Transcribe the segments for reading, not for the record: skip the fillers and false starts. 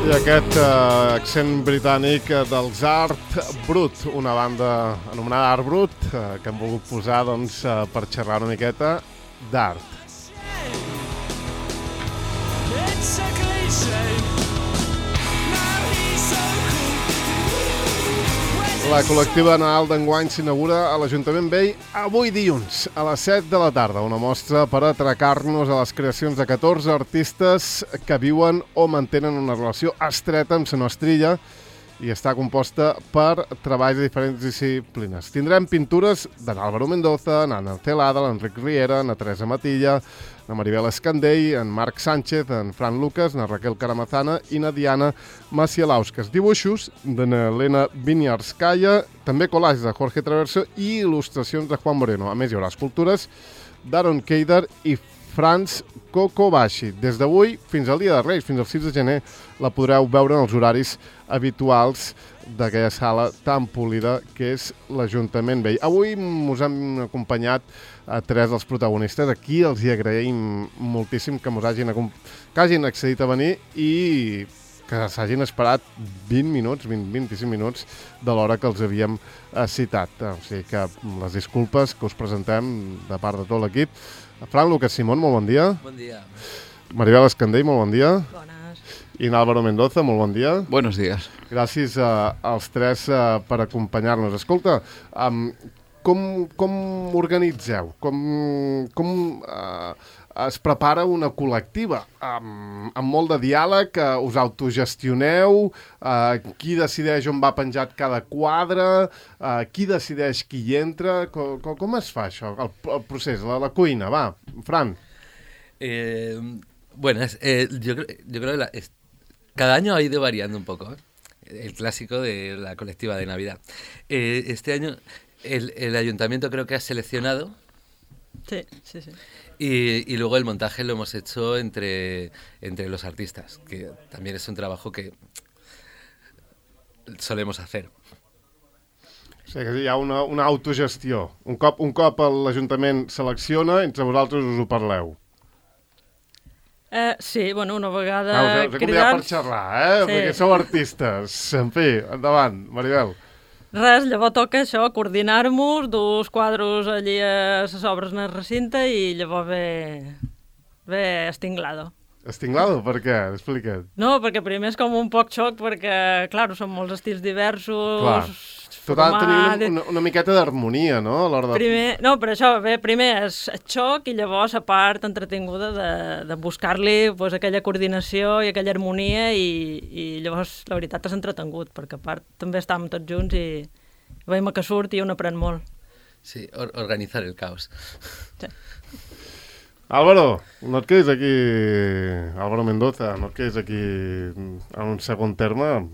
I aquest accent britànic dels Art Brut, una banda anomenada Art Brut, que hem volgut posar per xerrar una miqueta d'art. La col·lectiva Nadal d'enguany s'inaugura a l'Ajuntament Vell avui dilluns, a les 7 de la tarda. Una mostra per atracar-nos a les creacions de 14 artistes que viuen o mantenen una relació estreta amb la nostra illa i està composta per treballs de diferents disciplines. Tindrem pintures d'en Álvaro Mendoza, n'Anna Celada, l'Enric Riera, na Teresa Matilla, na Maribel Escandell, en Marc Sánchez, en Fran Lucas, na Raquel Caramazana i na Diana Macielauskas. Dibuixos de na Elena Vinyarskaya, també collages de Jorge Traverso i il·lustracions de Juan Moreno. A més, hi haurà escultures d'Aaron Keider i Franz Kokobashi. Des d'avui fins al dia de Reis, fins al 6 de gener, la podreu veure en els horaris habituals d'aquella sala tan polida que és l'Ajuntament Vell. Avui us hem acompanyat a tres dels protagonistes. Aquí els hi agraïm moltíssim que hagin accedit a venir i que s'hagin esperat 25 minuts de l'hora que els havíem citat. O sigui que les disculpes que us presentem de part de tot l'equip. Fran Lucas Simón, molt bon dia. Bon dia. Maribel Escandell, molt bon dia. Bones. I Álvaro Mendoza, molt bon dia. Buenos días. Gràcies als tres per acompanyar-nos. Escolta, com organitzeu? Com es prepara una col·lectiva? Amb molt de diàleg, us autogestioneu? Qui decideix on va penjat cada quadre? Qui decideix qui hi entra? Com es fa això, el procés, la cuina? Va, Fran. Bueno, yo creo que cada año ha ido variando un poco, ¿eh? El clásico de la colectiva de Navidad. Este año el ayuntamiento creo que ha seleccionado. Sí. Y luego el montaje lo hemos hecho entre los artistas, que también es un trabajo que solemos hacer. O sigui que hi ha una autogestió. Un cop l'Ajuntament selecciona, entre vosaltres us ho parleu. Sí, bueno, una vegada Us he convidat per xerrar, Sí. Perquè sou artistes. En fi, endavant, Maribel. Res, llavors toca això, coordinar-nos, dur els quadros allí a les obres en el recinte i llavors ve estinglado. Estinglado? Per què? Explica't. No, perquè primer és com un poc xoc, perquè, clar, són molts estils diversos. Clar. Tot ha de tenir una miqueta d'harmonia, no? A l'hora de... No, per això, primer és xoc i llavors la part entretinguda de buscar-li pues, aquella coordinació i aquella harmonia i llavors la veritat és entretingut, perquè a part també estàvem tots junts i veiem que surt i un aprèn molt. Sí, organizar el caos. Sí. Álvaro, no et quedis aquí... Álvaro Mendoza, no et quedis aquí en un segon terme.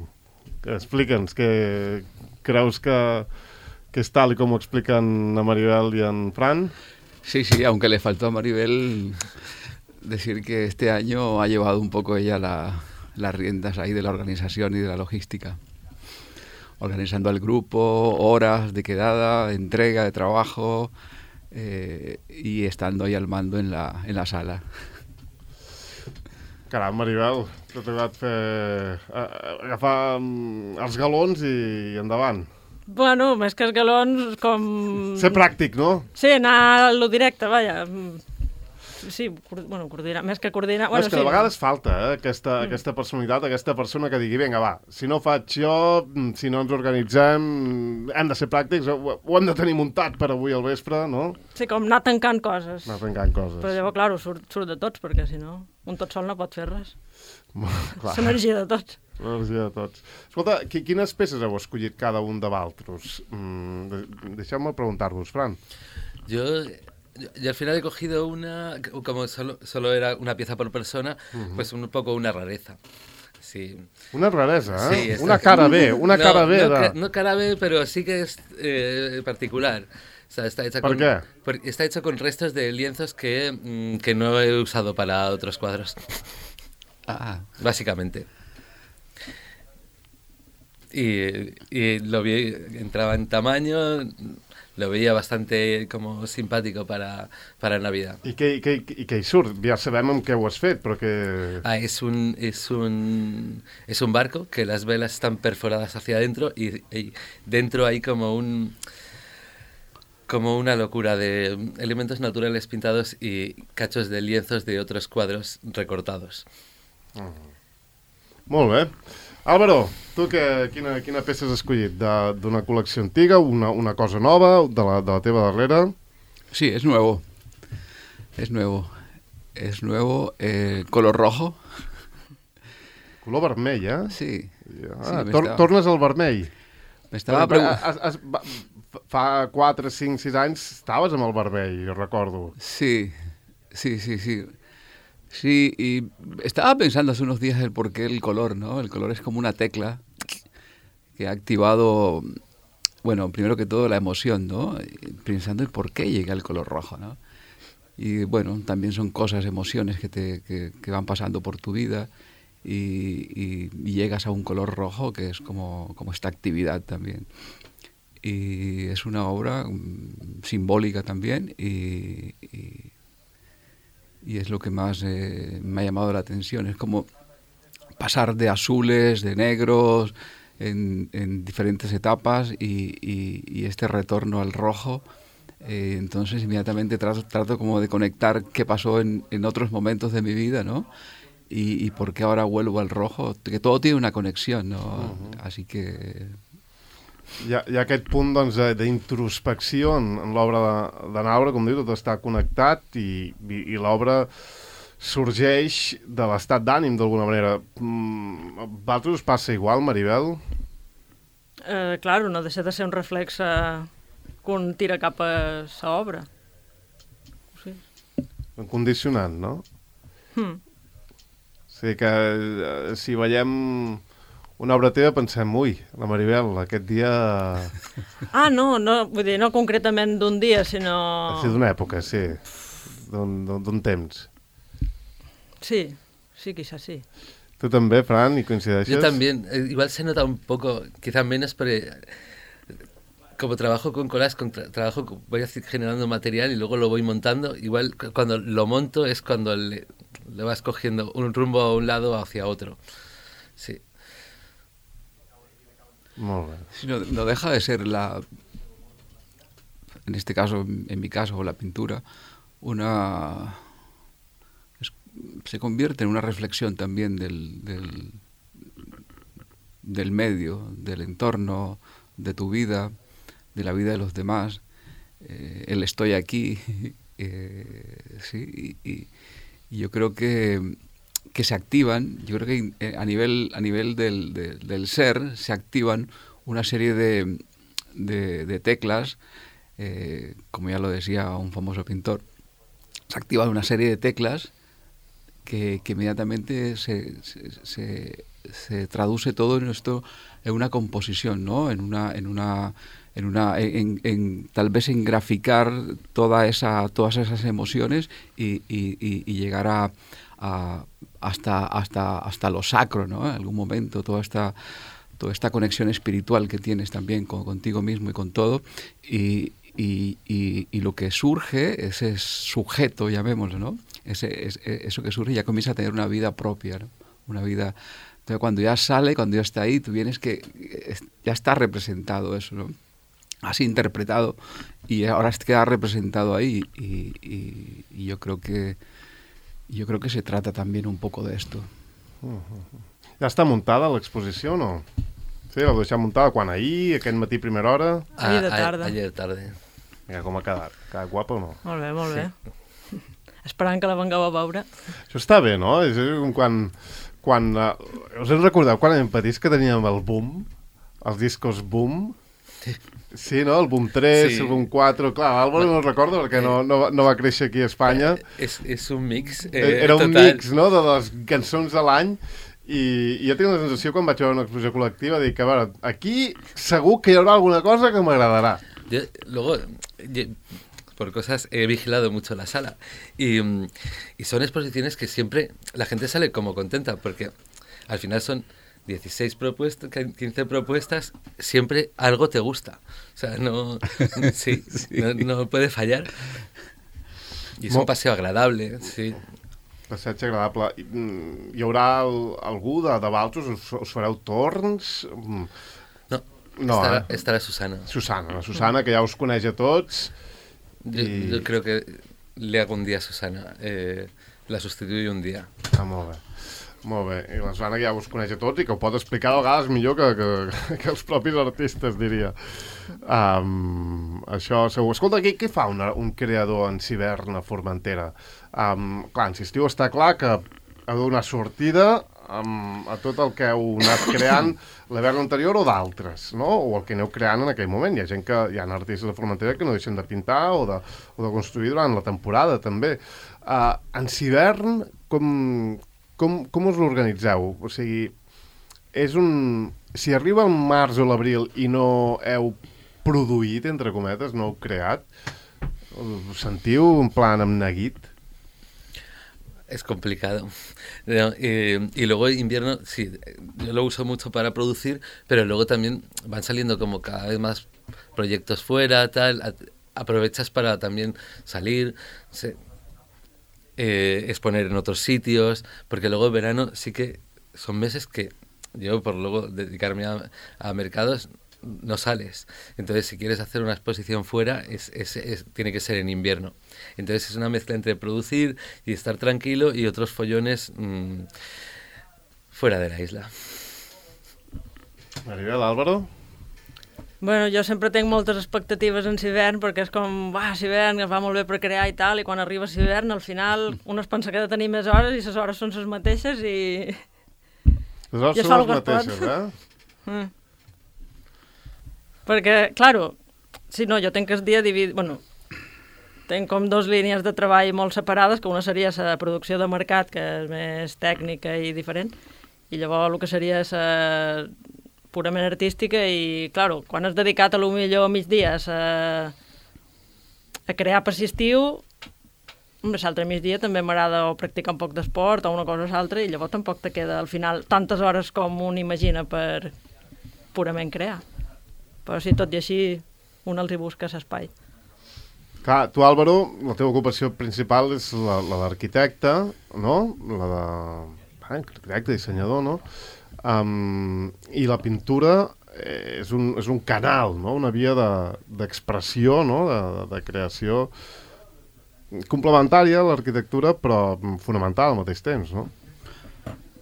Explica'ns que... ¿Creus que es tal y como explican a Maribel y a Fran? Sí, aunque le faltó a Maribel decir que este año ha llevado un poco ella las riendas ahí de la organización y de la logística. Organizando al grupo, horas de quedada, entrega de trabajo y estando ahí al mando en la sala. Caram, Maribel, t'ha tocat agafar els galons i endavant. Bueno, més que els galons, com... Ser pràctic, no? Sí, anar a lo directe, vaja. Sí, bueno, coordinar, més que coordinar... Bueno, és que de vegades falta aquesta personalitat, aquesta persona que digui, vinga, va, si no faig jo, si no ens organitzem, hem de ser pràctics, ho hem de tenir muntat per avui al vespre, no? Sí, com anar tancant coses. Anar tancant coses. Però llavors, clar, surt de tots, perquè si no, un tot sol no pot fer res. Clar. És l'energia de tots. L'energia de tots. Escolta, quines peces heu escollit cada un de vosaltres? Deixeu-me preguntar-vos, Fran. Yo al final he cogido una, como solo era una pieza por persona, pues un poco una rareza. Sí. Una rareza, ¿eh? Sí, una cara B, cara B. No cara B, pero sí que es particular. O sea, está hecha ¿Por qué? Está hecho con restos de lienzos que no he usado para otros cuadros. Básicamente. y lo vi, entraba en tamaño, lo veia bastante com simpàtic para Navidad. I què hi surt? Ja sabem amb què ho has fet, però que... Es un barco que las velas están perforadas hacia adentro y dentro hay como una locura de elementos naturales pintados y cachos de lienzos de otros cuadros recortados. Molt bé. Álvaro, tu quina peça has escollit? D'una col·lecció antiga, una cosa nova, de la teva darrera? Sí, es nuevo. Color rojo. Color vermell, eh? Sí. Tornes al vermell. M'estava preguntant... Fa 4, 5, 6 anys estaves amb el vermell, jo recordo. Sí. Sí, y estaba pensando hace unos días el por qué el color, ¿no? El color es como una tecla que ha activado, bueno, primero que todo la emoción, ¿no? Pensando en por qué llega el color rojo, ¿no? Y bueno, también son cosas, emociones que van pasando por tu vida y llegas a un color rojo que es como esta actividad también. Y es una obra simbólica también y es lo que más me ha llamado la atención. Es como pasar de azules, de negros, en diferentes etapas y este retorno al rojo. Entonces inmediatamente trato como de conectar qué pasó en otros momentos de mi vida, ¿no? Y por qué ahora vuelvo al rojo, que todo tiene una conexión, ¿no? Así que... Hi ha aquest punt doncs, d'introspecció en l'obra de Naura, com diu, tot està connectat i l'obra sorgeix de l'estat d'ànim d'alguna manera. A vosaltres us passa igual, Maribel? Claro, no deixa de ser un reflex que un tira cap a sa obra. Sí. Un condicionant, no? O sigui que si veiem una obra teva pensem, ui, la Maribel, aquest dia... No, vull dir, no concretament d'un dia, sinó... Sí, d'una època, sí, d'un temps. Sí, quizás sí. ¿Tú también, Fran, y coincideixes? Yo también, igual se nota un poco, quizás menos, pero como trabajo con collage, voy generando material y luego lo voy montando, igual cuando lo monto es cuando le vas cogiendo un rumbo a un lado hacia otro. Sí. Molt bé. Sí, no deja de ser en este caso, en mi caso, la pintura, se convierte en una reflexión también del medio, del entorno, de tu vida, de la vida de los demás. El estoy aquí, sí, y yo creo que se activan, yo creo que a nivel del ser se activan una serie de teclas, como ya lo decía un famoso pintor, se activan una serie de teclas que inmediatamente se traduce todo en esto en una composición, ¿no? Tal vez en graficar todas esas emociones y llegar hasta lo sacro, ¿no? En algún momento toda esta conexión espiritual que tienes también contigo mismo y con todo y lo que surge, ese sujeto, llamémoslo, ¿no? Eso que surge ya comienza a tener una vida propia, ¿no? Una vida... Entonces cuando ya sale, cuando ya está ahí, tú vienes que ya está representado eso, ¿no? Has interpretado y ahora queda representado ahí y yo creo que se trata también un poco de esto. Ja està muntada l'exposició o no? Sí, la deixem muntada quan ahir, aquest matí primera hora? Ahir de tarda. Ayer tarde. Mira com ha quedat. Quedat guapa o no? Molt bé, molt bé. Esperant que la vengueu a veure. Això està bé, no? És com quan us en recordeu quan érem petits que teníem el boom? Els discos boom? Sí, no? El boom 3, sí. El boom 4... Clar, l'Àlvaro no el recordo perquè no va créixer aquí a Espanya. És un mix Era un total. mix, no?, de les cançons de l'any i jo tinc la sensació quan vaig veure una exposició col·lectiva de dir que, a veure, aquí segur que hi haurà alguna cosa que m'agradarà. Luego, por cosas, he vigilado mucho la sala y son exposiciones que siempre la gente sale como contenta porque al final son 16 propuestas, 15 propuestas, siempre algo te gusta. O sea, no, sí, no puede fallar. I és un passeig agradable, sí. Passeig agradable. Hi haurà algú de Valtros? Us fareu torns? No, estarà Susana. Susana, que ja us coneix a tots. Yo creo que le hago un día a Susana. La sustituyo un día. Molt bé. Molt bé. I la Susana que ja us coneix a tots i que ho pot explicar a vegades millor que els propis artistes, diria. Això segur. Escolta, què fa un creador en Civern a Formentera? Clar, en Cistiu està clar que ha de donar sortida a tot el que heu anat creant l'hivern anterior o d'altres, no? O el que aneu creant en aquell moment. Hi ha artistes de Formentera que no deixen de pintar o de construir durant la temporada, també. En Civern, com us l'organitzeu? O sigui, si arriba el març o l'abril i no heu produït, entre cometes, no heu creat, us sentiu en plan amb neguit? Es complicado. Y luego invierno, sí, yo lo uso mucho para producir, pero luego también van saliendo como cada vez más proyectos fuera, tal. Aprovechas para también salir, exponer en otros sitios, porque luego en verano sí que son meses que yo, por luego dedicarme a mercados, no sales. Entonces, si quieres hacer una exposición fuera, tiene que ser en invierno. Entonces, es una mezcla entre producir y estar tranquilo y otros follones fuera de la isla. Maribel, Álvaro? Bueno, jo sempre tinc moltes expectatives en Civern perquè és com, Civern, es va molt bé per crear i tal, i quan arriba Civern, al final, un es pensa que ha de tenir més hores i les hores són les mateixes i... Les hores són les mateixes, eh? Perquè, claro, si no, jo tinc el dia dividit... Bueno, tinc com 2 línies de treball molt separades, que una seria la producció de mercat, que és més tècnica i diferent, i llavors el que seria la purament artística i, claro, quan has dedicat a lo millor migdia a crear per estiu, l'altre migdia també m'agrada o practicar un poc d'esport o una cosa o l'altra i llavors tampoc te queda al final tantes hores com un imagina per purament crear. Però sí, tot i així, un els hi busca l'espai. Clar, tu, Álvaro, la teva ocupació principal és la d'arquitecte, no? La d'arquitecte, dissenyador, no? I la pintura és un canal, no? Una via d'expressió, no? De creació complementària a l'arquitectura, però fonamental al mateix temps, no?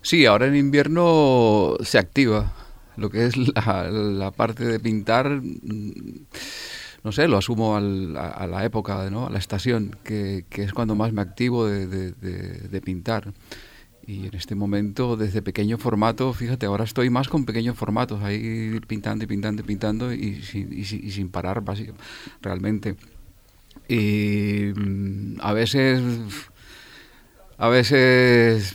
Sí, ahora en invierno se activa lo que es la parte de pintar, no sé, lo asumo a la época, ¿no? A la estación, que es cuando más me activo de pintar. Y en este momento, desde pequeño formato, fíjate, ahora estoy más con pequeños formatos, ahí pintando y pintando y pintando y sin parar, básicamente, realmente. Y a veces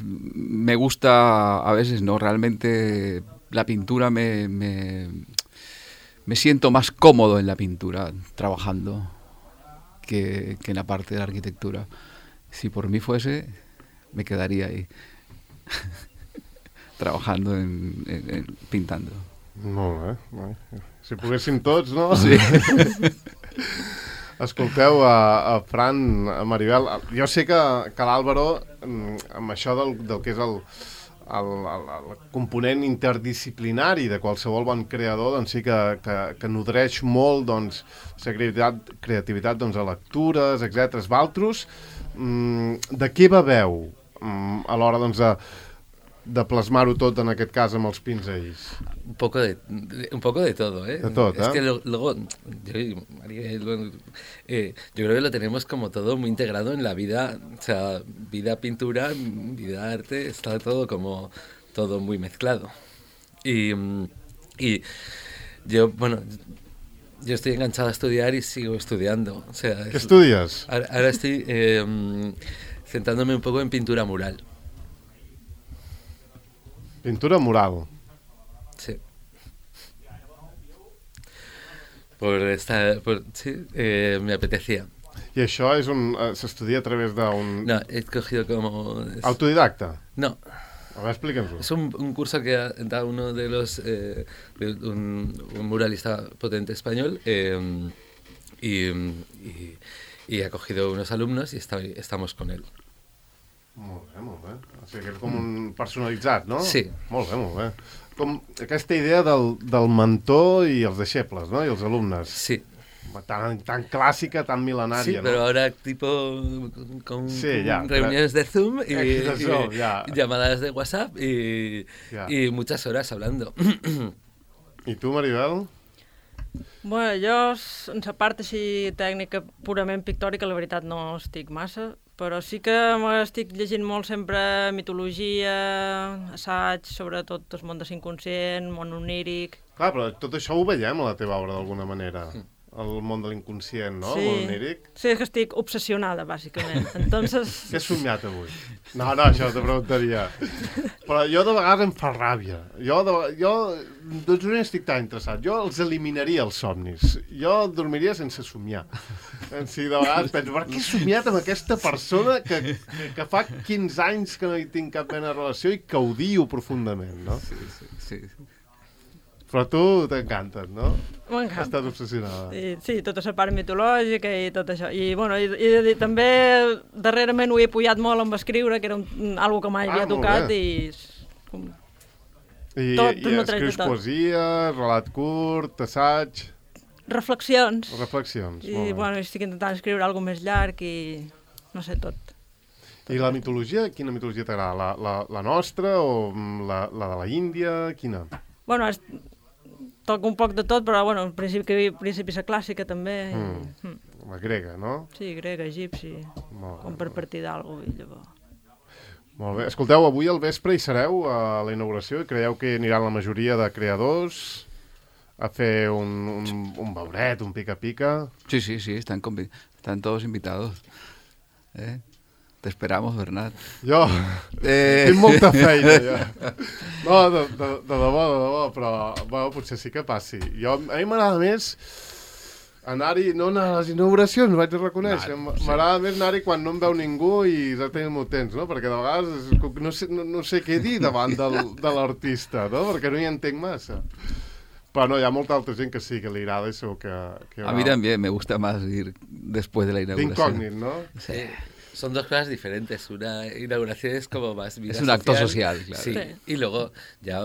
me gusta, a veces no, realmente la pintura me siento más cómodo en la pintura trabajando que en la parte de la arquitectura. Si por mí fuese, me quedaría ahí trabajando en pintando. Molt bé. Si poguéssim tots, no? Sí. Escolteu, a Fran, a Maribel, jo sé que l'Àlvaro, amb això del que és el component interdisciplinari de qualsevol bon creador, doncs sí que nodreix molt la creativitat a lectures, etc. Valtros, de què beveu a l'hora de plasmar-ho tot, en aquest cas, amb els pinzells? Un poco de todo, ¿eh? De todo, es que luego, yo creo que lo tenemos como todo muy integrado en la vida, o sea, vida pintura, vida arte, está todo como todo muy mezclado. Y yo, bueno, yo estoy enganchado a estudiar y sigo estudiando. O sea, ¿Qué estudias? Ahora estoy centrándome un poco en pintura mural. Pintura mural. Sí. Sí, me apetecía. I això s'estudia a través d'un... No, he cogido como... Autodidacta? No, A ver, explícanos-ho. Es un curso que da uno de los... un muralista potente español y ha cogido unos alumnos y estamos con él. Molt bé, molt bé. O sigui que és com un personalitzat, no? Sí. Molt bé, molt bé. Com aquesta idea del mentor i els deixebles, no? I els alumnes. Sí. Tan clásica, tan milenaria, sí, ¿no? Pero ahora tipo con reuniones de Zoom y llamadas de WhatsApp y muchas horas hablando. I tu, Maribel? Bueno, jo, en la part així tècnica purament pictòrica, la veritat no estic massa, però sí que m'estic llegint molt sempre mitologia, assaig, sobretot el món de l'inconscient, món oníric... Clar, però tot això ho veiem a la teva obra d'alguna manera. El món de l'inconscient, no? Sí. El món oníric. Sí, és que estic obsessionada, bàsicament. Entonces... Què has somiat avui? No, això te preguntaria. Però jo de vegades em fa ràbia. Jo doncs no estic tan interessat. Jo els eliminaria, els somnis. Jo dormiria sense somiar. Si de vegades penso, per què he somiat amb aquesta persona que fa 15 anys que no hi tinc cap mena de relació i que odio profundament, no? Sí. Però tu t'encantes, no? M'encanta. Estàs obsessionada. Sí, tota la part mitològica i tot això. I, bueno, i també darrerament ho he pujat molt amb escriure, que era algo que mai havia tocat i... I escrius poesia, relat curt, assaig... Reflexions. Reflexions, I, bueno, estic intentant escriure alguna més llarg i no sé, tot. I la mitologia, quina mitologia t'agrada? La nostra o la de la Índia? Quina? Bueno, toco un poc de tot, però, bueno, en principi la clàssica també. La grega, no? Sí, grega, egipci, com per partir d'algú i llavors. Molt bé. Escolteu, avui al vespre hi sereu a la inauguració i creieu que aniran la majoria de creadors a fer un beuret, un pica-pica? Sí, están todos invitados. Te esperamos, Bernat. Jo tinc molta feina, ja. No, de debò, però bueno, potser sí que passi. A mi m'agrada més anar-hi, no anar a les inauguracions, vaig a reconèixer. M'agrada més anar-hi quan no em veu ningú i exactament molt temps, no? Perquè de vegades no sé què dir davant de l'artista, no? Perquè no hi entenc massa. Però no, hi ha molta altra gent que sí, que li agrada i segur que a mí también me gusta más ir después de la inauguración. D'incògnit, no? Sí. Son dos cosas diferentes. Una inauguración es como más vida social. Es un acto social, claro. Sí. Y luego ya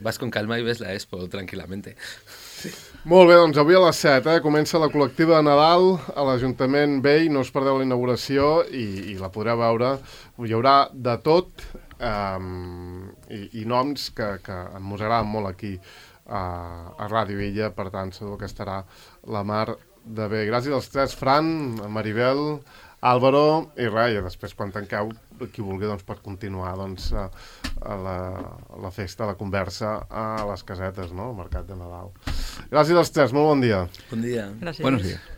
vas con calma y ves la expo tranquil·lament. Sí. Molt bé, doncs avui a les 7 comença la col·lectiva de Nadal a l'Ajuntament Vell. No us perdeu la inauguració i la podreu veure. Hi haurà de tot i noms que ens agraden molt aquí a Ràdio Illa. Per tant, segur que estarà la mar de bé. Gràcies als tres, Fran, Maribel, Álvaro i res, i després quan tanqueu, qui vulgui doncs, pot continuar doncs, a la festa, a la conversa, a les casetes, no? Al mercat de Nadal. Gràcies als tres, molt bon dia. Bon dia. Gràcies. Buenos días.